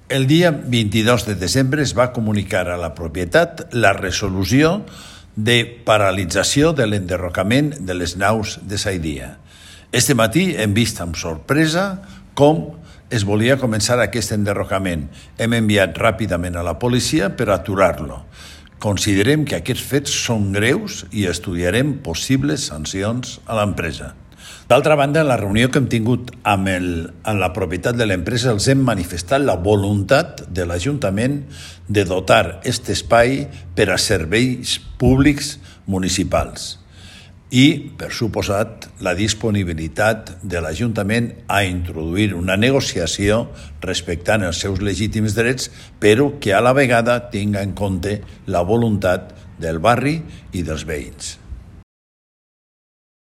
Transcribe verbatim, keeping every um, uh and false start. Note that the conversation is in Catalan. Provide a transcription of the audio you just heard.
El dia vint-i-dos de desembre es va comunicar a la propietat la resolució de paralització de l'enderrocament de les naus de Saidia. Este matí hem vist amb sorpresa com es volia començar aquest enderrocament. Hem enviat ràpidament a la policia per aturar-lo. Considerem que aquests fets són greus i estudiarem possibles sancions a l'empresa. D'altra banda, en la reunió que hem tingut amb, el, amb la propietat de l'empresa els hem manifestat la voluntat de l'Ajuntament de dotar aquest espai per a serveis públics municipals i, per suposat, la disponibilitat de l'Ajuntament a introduir una negociació respectant els seus legítims drets, però que a la vegada tinga en compte la voluntat del barri i dels veïns.